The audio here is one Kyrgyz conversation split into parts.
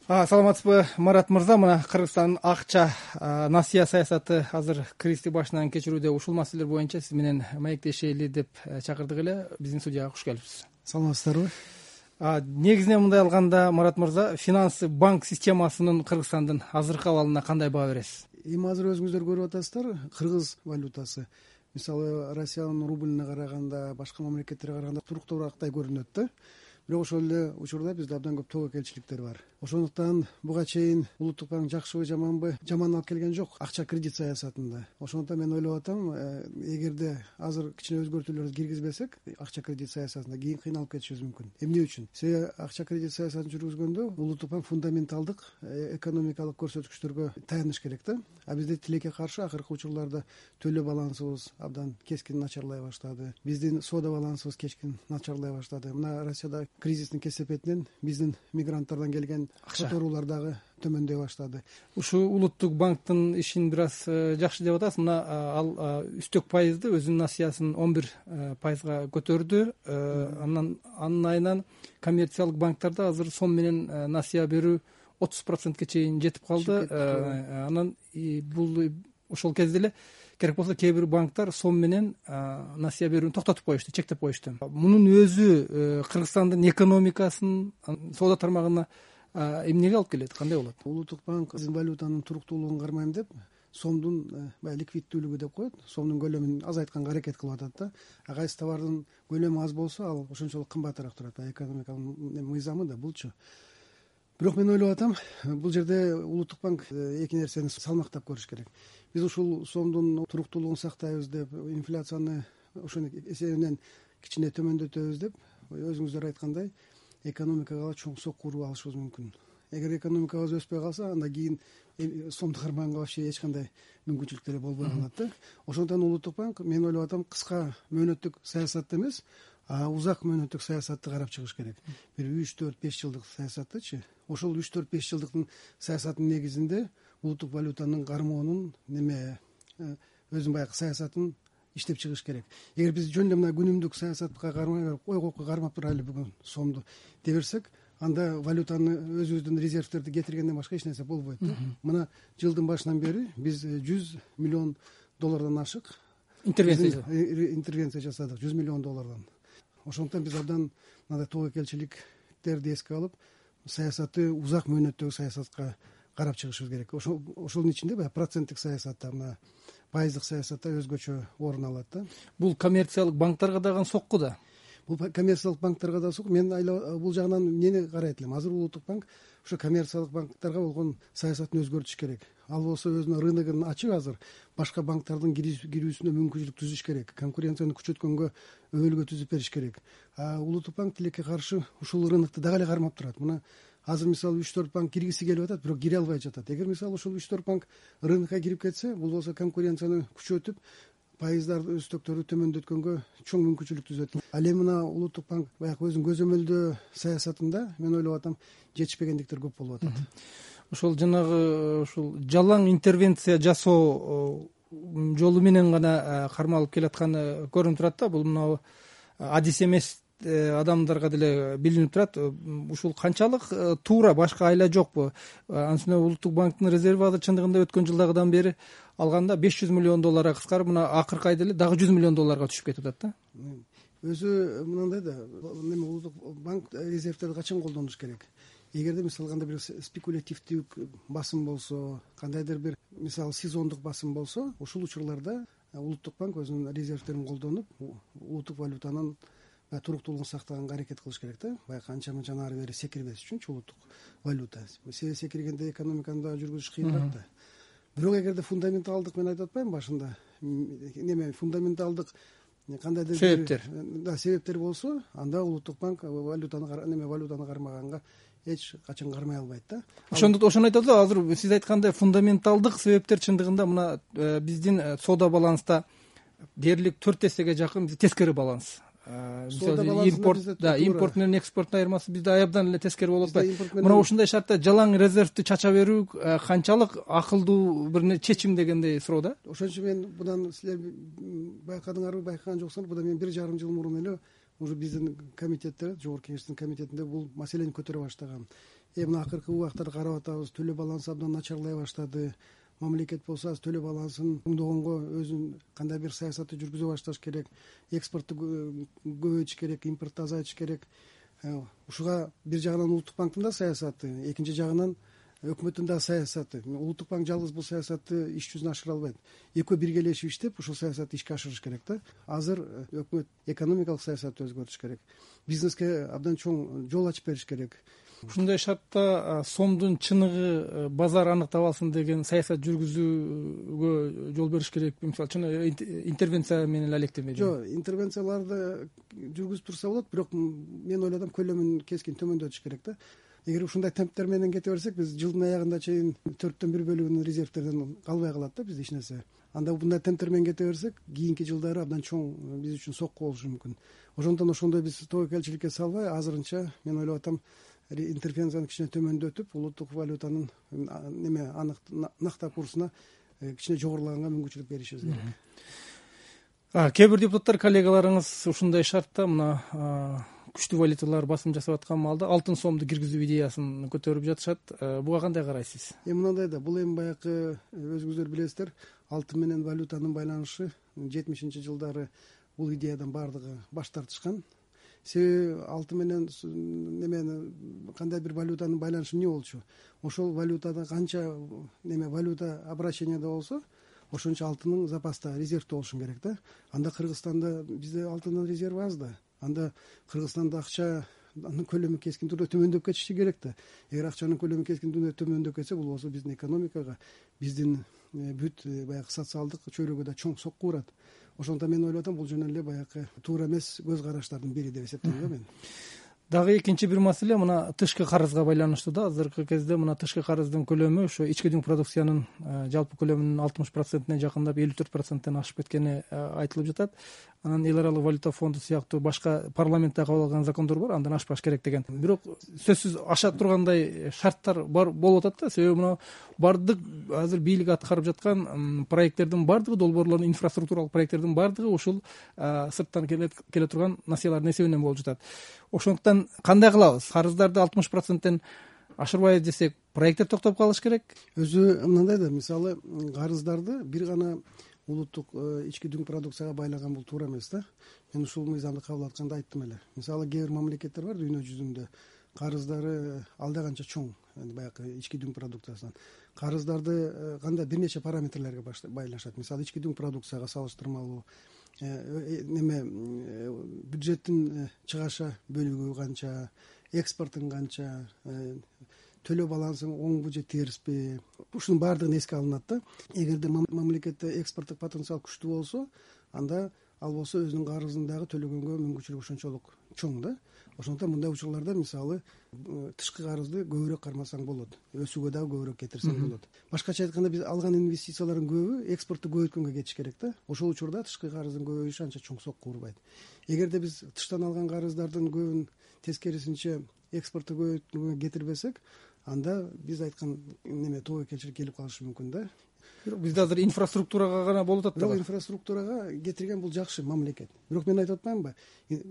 Саламатсызбы, Марат мырза? Мына Кыргызстандын акча насыя саясаты азыр кризисти башынан кечирүүдө. Ушул маселелер боюнча сиз менен маектешели деп чакырдык эле. Биздин студияга куш келипсиз. Саламатсыздарбы? Негизинен мындай алганда, Марат мырза, финансы банк системасынын Кыргызстандын азыркы абалына кандай баа бересиз? Эми азыр өзүңүздөр көрүп атасыздар, кыргыз валютасы мисалы Россиянын рублине караганда, башка мамлекеттерге караганда туруктуураактай көрүнөт да. Бирок ошол эле учурда бизде абдан көп тобокелчиликтер бар. Ошондуктан буга чейин улуттук банк жакшыбы жаманбы, жаман алып келген жок акча кредит саясатында. Ошондуктан мен ойлоп атам, эгерде азыр кичине өзгөртүүлөрдү киргизбесек, акча кредит саясатында кийин кыйналып кетишибиз мүмкүн. Эмне үчүн? Себеби акча кредит саясатын жүргүзгөндө улуттук банк фундаменталдык экономикалык көрсөткүчтөргө таяныш керек да. А бизде тилекке каршы акыркы учурларда төлөө балансыбыз абдан кескин начарлай баштады. Биздин соода балансыбыз кескин начарлай баштады. Мына Россияда кризистин кесепетинен биздин мигранттардан келген которуулар дагы төмөндөй баштады. Ушу улуттук банктын ишин бир аз жакшы деп атасыз. Мына ал үстөк пайызды өзүнүн насыясын 11% көтөрдү. Анын айынан коммерциялык банктарда азыр сом менен насыя берүү 30%ке чейин жетип калды. Анан бул ошол кезде эле керек болсо кээ бир банктар сом менен насыя берүүнү токтотуп коюшту, чектеп коюшту. Мунун өзү Кыргызстандын экономикасын, соода тармагына эмнеге алып келет, кандай болот? Улуттук банк валютанын туруктуулугун кармайм деп сомдун ликвиддүүлүгү деп коет, сомдун көлөмүн азайтканга аракет кылып атат да. Кайсы товардын көлөмү аз болсо, ал ошончолук кымбатыраак турат. Экономиканын мыйзамы да булчу. Бирок мен ойлоп атам, бул жерде улуттук банк эки нерсени салмактап көрүш керек. Биз ушул сомдун туруктуулугун сактайбыз деп, инфляцияны ошонун эсебинен кичине төмөндөтөбүз деп, өзүңүздөр айткандай, экономикага чоң сокку уруп алышыбыз мүмкүн. Эгер экономикабыз өспөй калса, анда кийин сомду кармаганга вообще эч кандай мүмкүнчүлүктөр болбой калат да. Ошондуктан улуттук банк, мен ойлоп атам, кыска мөөнөттүк саясатты эмес, узак мөөнөттүк саясатты карап чыгыш керек. Бир 3-4-5 жылдык саясаттычы. Ошол 3-4-5 жылдыктын саясатынын негизинде улуттук валютанын кармоонун өзүнүн баягы саясатын иштеп чыгыш керек. Эгер биз жөн эле мына күнүмдүк саясатка кармай берип, койгоку кармап турайлы бүгүн сомду деберсек, анда валютаны өзүбүздүн резервтерди кетиргенден башка эч нерсе болбойт да. Мына жылдын башынан бери биз $100 миллион ашык интервенция жасадык, $100 миллион. Ошондуктан биз абдан мындай тобокелчиликтерди эске алып, саясатты узак мөөнөттөгү саясатка карап чыгышыбыз керек. Ошонун ичинде проценттик саясатта, мына пайыздык саясатта өзгөчө орун алат да. Бул коммерциялык банктарга дагы сокку да. Бул коммерциялык банктарга да сокку. Мен бул жагынан эмнени карайт элем? Азыр улуттук банк ошо коммерциялык банктарга болгон саясатын өзгөртүш керек. Ал болсо өзүнүн рыногун ачып, азыр башка банктардын кирүүсүнө мүмкүнчүлүк түзүш керек. Конкуренцияны күчөткөнгө өбөлгө түзүп бериш керек. Улуттук банк тилекке каршы ушул рынокду дагы эле кармап турат. Мына азыр мисалы 3-4 банк киргиси келип атат, бирок кире албай жатат. Эгер мисалы ушул 3-4 банк рынокко кирип кетсе, бул болсо конкуренцияны күчөтүп, пайыздарды өстөктөрдү төмөндөткөнгө чоң мүмкүнчүлүк түзөт. Ал эми мына улуттук банк баягы өзүнүн көзөмөлдөө саясатында мен ойлоп атам, жетишпегендиктер көп болуп атат. Ошол жанагы ушул жалаң интервенция жасоо жолу менен гана кармалып келатканы көрүнүп турат да. Бул мына адис эмес адамдарга деле билинип турат. Ушул канчалык туура, башка айла жокпу? Анткени улуттук банктын резерви азыр чындыгында өткөн жылдагыдан бери алганда $500 миллион кыскарып, мына акыркы айда эле дагы $100 миллион түшүп кетип атат да. Өзү мындай да, улуттук банк резервтерди качан колдонуш керек? Эгерде мисалы кандай бир спекулятивдүү басым болсо, кандайдыр бир мисалы сезондук басым болсо, ушул учурларда улуттук банк өзүнүн резервтерин колдонуп, улуттук валютанын туруктуулугун сактаганга аракет кылыш керек да. Баягы канча ары бери секирбеш үчүнчү улуттук валюта. Себеби секиргенде экономиканы дагы жүргүзүш кыйыныраак да. Бирок эгерде фундаменталдык, мен айтып атпаймынбы башында, фундаменталдык кандайдыр себептер болсо, анда улуттук банк валютаны кармаганга эч качан кармай албайт да. Ошону айтат да, азыр сиз айткандай фундаменталдык себептер чындыгында мына биздин соода баланста дээрлик 4 эсеге жакын тескери баланс. Импорт менен экспорттун айырмасы бизде аябдан эле тескери болуп атпайбы? Мына ушундай шартта жалаң резервди чача берүү канчалык акылдуу бир чечим дегендей суроо да. Ошон үчүн мен будан силер байкадыңарбы, байкаган жоксуңар, будан мен 1,5 жыл мурун эле уже биздин комитетте, жогорку кеңештин комитетинде бул маселени көтөрө баштагам. мына акыркы убактарда карап атабыз, төлөө балансы абдан начарлай баштады. Мамлекет болсо азыр төлөө балансын оңдогонго өзүнүн кандай бир саясатты жүргүзө башташ керек, экспортту көбөйтүш керек, импортду азайтыш керек. Ушуга бир жагынан Улуттук банктын да саясаты, экинчи жагынан өкмөттүн да саясаты. Улуттук банк жалгыз бул саясатты иш жүзүнө ашыра албайт. Экөө биргелешип иштеп ушул саясатты ишке ашырыш керек да. Азыр өкмөт экономикалык саясатты өзгөртүш керек, бизнеске абдан чоң жол ачып бериш керек. Ушундай шартта сомдун чыныгы базар аныктап алсын деген саясат жүргүзүүгө жол бериш керек. Мисалы чыныгы интервенция менен эле алектенбейди. Жок, интервенцияларды жүргүзүп турса болот, бирок мен ойлодум көлөмүн кескин төмөндөтүш керек да. Эгер ушундай темптер менен кете берсек, биз жылдын аягында чейин 1/4 бөлүгүн резервтерден калбай калат да бизде эч нерсе. Анда мындай темптер менен кете берсек, кийинки жылдары абдан чоң биз үчүн сокку болушу мүмкүн. Ошондон ошондой биз тобокелчиликке салбай, азырынча мен ойлоп атам, интервенцияны кичине төмөндөтүп, улуттук валютанын накта курсуна кичине жогорулаганга мүмкүнчүлүк беришибиз керек. Кээ бир депутаттар, коллегаларыңыз ушундай шартта мына күчтүү валюталар басым жасап аткан маалда алтын сомду киргизүү идеясын көтөрүп жатышат. Буга кандай карайсыз? Мындай да, бул баягы өзүңүздөр билесиздер, алтын менен валютанын байланышы 70-жылдары бул идеядан баардыгы баш тартышкан. Себеби алтын менен кандай бир валютанын байланышы эмне болчу? Ошол валютада канча валюта обращениеде болсо, ошончо алтынын запаста, резервде болушу керек да. Анда Кыргызстанда бизде алтындын резерви аз да. Анда Кыргызстанда акчанын көлөмү кескин түрдө төмөндөп кетиши керек да. Эгер акчанын көлөмү кескин түрдө төмөндөп кетсе, бул болсо биздин экономикага, биздин бүт баягы социалдык чөйрөгө да чоң сокку урат. Ошондон мен ойлоп атам, бул жөн эле баягы туура эмес көз караштардын бири деп эсептейм да мен. Дагы экинчи бир маселе мына тышкы карызга байланыштуу да. Азыркы кезде мына тышкы карыздын көлөмү ошо ички дүң продукциянын жалпы көлөмүнүн 60%-не жакындап 54%-тен ашып кеткени айтылып жатат. Анан эл аралык валюта фонду сыяктуу башка парламентте кабыл алган закондор бар, андан ашпаш керек деген. Бирок сөзсүз аша тургандай шарттар бар болуп атат да. Себеби мына бардык азыр бийлик аткарып жаткан проекттердин бардыгы, долбоорлордун, инфраструктуралык проекттердин бардыгы ушул сырттан келе турган насыялардын эсебинен болуп жатат. Ошондуктан кандай кылабыз? Карыздарды 60%-тен ашырбайбыз десек, проекттер токтоп калыш керек. Өзү мындай да, мисалы карыздарды бир гана улуттук ички дүң продукцияга байлаган бул туура эмес да. Мен ушул мыйзамды кабыл атканда айттым эле. Мисалы кээ бир мамлекеттер бар дүйнө жүзүндө, карыздары алда канча чоң, баягы ички дүң продукциясынан. Карыздарды кандай бир нече параметрлерге байлашат. Мисалы ички дүң продукцияга салыштырмалуу бюджеттин чыгаша бөлүгү канча, экспортун канча, төлөө балансың оңбу же терспи, ушунун баардыгын эске алынат да. Эгерде мамлекетте экспорттук потенциал күчтүү болсо, анда ал болсо өзүнүн карызын дагы төлөгөнгө мүмкүнчүлүгү ошончолук чоң да. Ошондуктан мындай учурларда мисалы тышкы карызды көбүрөөк кармасаң болот, өсүүгө дагы көбүрөөк кетирсең болот. Башкача айтканда, биз алган инвестициялардын көбү экспортту көбөйткөнгө кетиш керек да. Ошол учурда тышкы карыздын көбөйүшү анча чоң сокку урбайт. Эгерде биз тыштан алган карыздардын көбүн тескерисинче экспортту көбөйткөнгө кетирбесек, анда биз айткан тобокелчилик келип калышы мүмкүн да. Бирок бизде азыр инфраструктурага гана болуп атат да. Бирок инфраструктурага кетирген бул жакшы мамлекет. Бирок мен айтып атпаймынбы,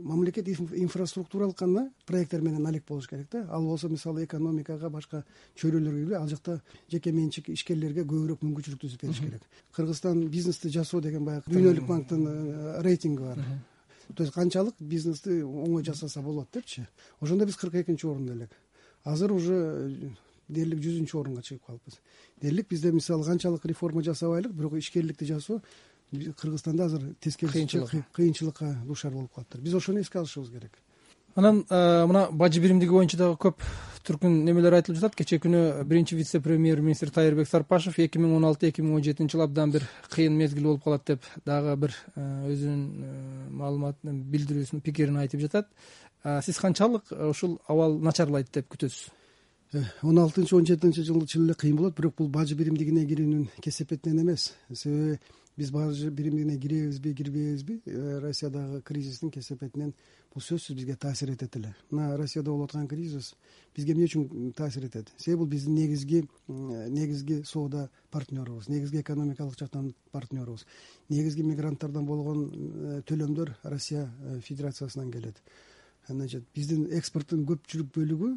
мамлекет инфраструктуралык гана проекттер менен алек болуш керек да. Ал болсо мисалы экономикага, башка чөйрөлөргө, ал жакта жеке менчик ишкерлерге көбүрөөк мүмкүнчүлүк түзүп бериш керек. Кыргызстан бизнести жасоо деген баягы дүйнөлүк банктын рейтинги бар. То есть канчалык бизнести оңой жасаса болот депчи. Ошондо биз 42-орунда элек. Азыр уже дээрлик 100-орунга чыгып калыппыз. Дээрлик бизде мисалы канчалык реформа жасабайлык, бирок ишкерликти жасоо Кыргызстанда азыр тескерисинче кыйынчылыкка дуушар болуп калыптыр. Биз ошону эске алышыбыз керек. Анан мына бажы биримдиги боюнча дагы көп түркүн немелер айтылып жатат. Кечээ күнү биринчи вице-премьер-министр Тайырбек Сарпашев 2016-2017 жыл абдан бир кыйын мезгил болуп калат деп дагы бир өзүнүн маалыматын, билдирүүсүн, пикирин айтып жатат. Сиз канчалык ушул абал начарлайт деп күтөсүз? 16-17 жыл чын эле кыйын болот, бирок бул бажы биримдигине кирүүнүн кесепетинен эмес. Себеби биз бажы биримдигине киребизби, кирбейбизби, Россиядагы кризистин кесепетинен бул сөзсүз бизге таасир этет эле. Мына Россияда болуп аткан кризис бизге эмне үчүн таасир этет? Себеби бул биздин негизги соода партнерубуз, негизги экономикалык жактан партнерубуз. Негизги мигранттардан болгон төлөмдөр Россия Федерациясынан келет. Значит, биздин экспорттун көпчүлүк бөлүгү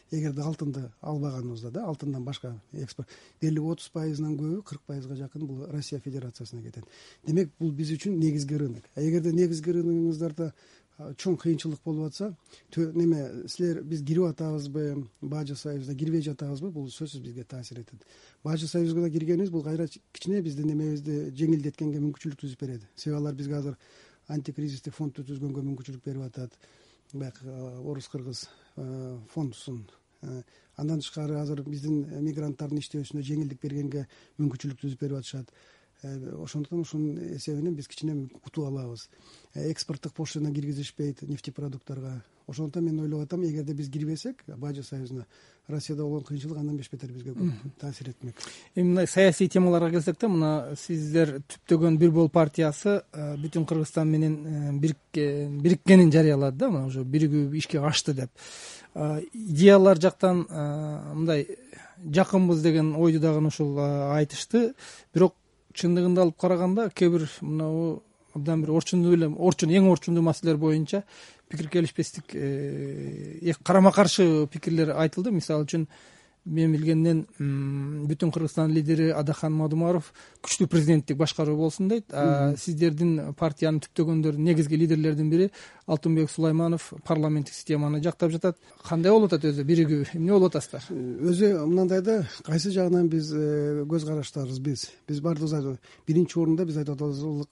эгерде алтынды албаганыбызда да, алтындан башка экспорт дээрлик 30%-нан көбү, 40%га жакын бул Россия Федерациясына кетет. Демек бул биз үчүн негизги рынок. Эгерде негизги рыногуңуздарда чоң кыйынчылык болуп атса, силер биз кирип атабызбы, Бажы союзуна кирбей жатабызбы, бул сөзсүз бизге таасир этет. Бажы союзуна киргенибиз бул кайра кичине биздин немебизди жеңилдеткенге мүмкүнчүлүк түзүп берет. Себеби алар бизге азыр антикризистик фондду түзгөнгө мүмкүнчүлүк берип атат. Баягы орус-кыргыз фондусун. Андан тышкары азыр биздин мигранттардын иштөөсүнө жеңилдик бергенге мүмкүнчүлүк түзүп берип атышат. Ошондуктан ушунун эсебинен биз кичине утуп алабыз. Экспорттук пошлина киргизишпейт нефтепродукттарга. Ошондуктан мен ойлоп атам, эгерде биз кирбесек Бажы союзуна, Россияда болгон кыйынчылык андан беш бетер бизге көп таасир этмек. Мындай саясий темаларга келсек да, мына сиздер түптөгөн Бир Бол партиясы бүтүн Кыргызстан менен бириккенин жарыялады да, мына уже биригүү ишке ашты деп. Идеялар жактан мындай жакынбыз деген ойду дагы ушул айтышты. Бирок чындыгында алып караганда кээ бир мынабу абдан бир эң орчундуу маселелер боюнча пикир келишпестик, карама каршы пикирлер айтылды. Мисалы үчүн мен билгенден бүтүн Кыргызстан лидери Адахан Мадумаров күчтүү президенттик башкаруу болсун дейт. Сиздердин партиянын түптөгөндөрүнүн негизги лидерлердин бири Алтынбек Сулайманов парламенттик системаны жактап жатат. Кандай болуп атат өзү биригүү? Эмне болуп атасыздар? Өзү мындай да, кайсы жагынан биз көз караштарыбыз биз бардыгыбыз биринчи орунда биз айтып атабыз,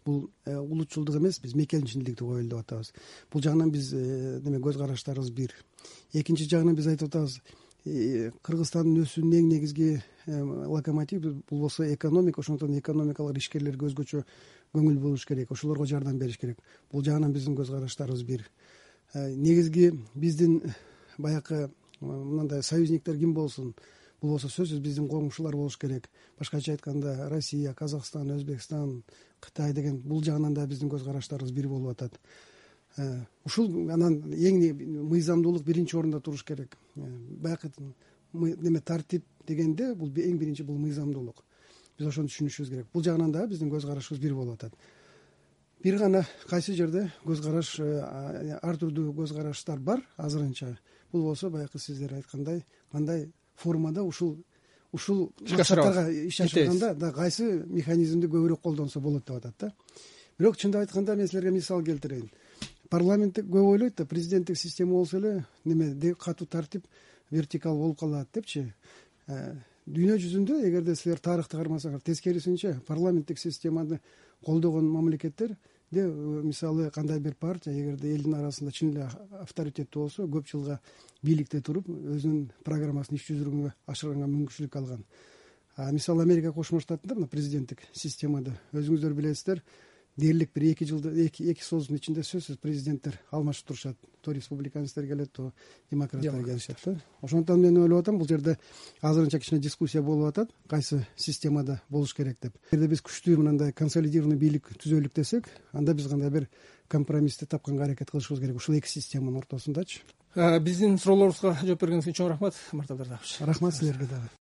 бул улутчулдук эмес, биз мекенчилдикти коелу деп атабыз. Бул жагынан биз көз караштарыбыз бир. Экинчи жагынан биз айтып атабыз, Кыргызстандын өсүүнүн эң негизги локомотиви бул болсо экономика. Ошондуктан экономикалык ишкерлерге өзгөчө көңүл буруш керек, ошолорго жардам бериш керек. Бул жагынан биздин көз караштарыбыз бир. Негизги биздин баягы мындай союзниктер ким болсун? Бул болсо сөзсүз биздин коңшулар болуш керек. Башкача айтканда Россия, Казакстан, Өзбекстан, Кытай деген бул жагынан да биздин көз караштарыбыз бир болуп атат. Ушул анан эң мыйзамдуулук биринчи орунда туруш керек. Баягы тартип дегенде бул эң биринчи бул мыйзамдуулук. Биз ошону түшүнүшүбүз керек. Бул жагынан да биздин көз карашыбыз бир болуп атат. Бир гана кайсы жерде көз караш, ар түрдүү көз караштар бар азырынча. Бул болсо баягы сиздер айткандай, кандай формада ушул максаттарга иш ашырганда да кайсы механизмди көбүрөөк колдонсо болот деп атат да. Бирок чындап айтканда мен силерге мисал келтирейин. Парламенттик көп ойлойт да, президенттик система болсо эле катуу тартип, вертикал болуп калат депчи. Дүйнө жүзүндө эгерде силер тарыхты кармасаңар, тескерисинче парламенттик системаны колдогон мамлекеттер мисалы кандай бир партия эгерде элдин арасында чын эле авторитеттүү болсо, көп жылга бийликте туруп, өзүнүн программасын иш жүзүргөнгө ашырганга мүмкүнчүлүк алган. Мисалы Америка Кошмо Штатында мына президенттик системада өзүңүздөр билесиздер, дээрлик бир 2 жылда 2 союздун ичинде сөзсүз президенттер алмашып турушат. То республиканецтер келет, то демократтар келишет да. Ошондуктан мен ойлоп атам, бул жерде азырынча кичине дискуссия болуп атат, кайсы системада болуш керек деп. Эгерде биз күчтүү мындай консолидированный бийлик түзөлүк десек, анда биз кандай бир компромиссти тапканга аракет кылышыбыз керек ушул эки системанын ортосундачы. Биздин суроолорубузга жооп бергениңиз үчүн чоң рахмат, Мартап Дардабович. Рахмат силерге дагы.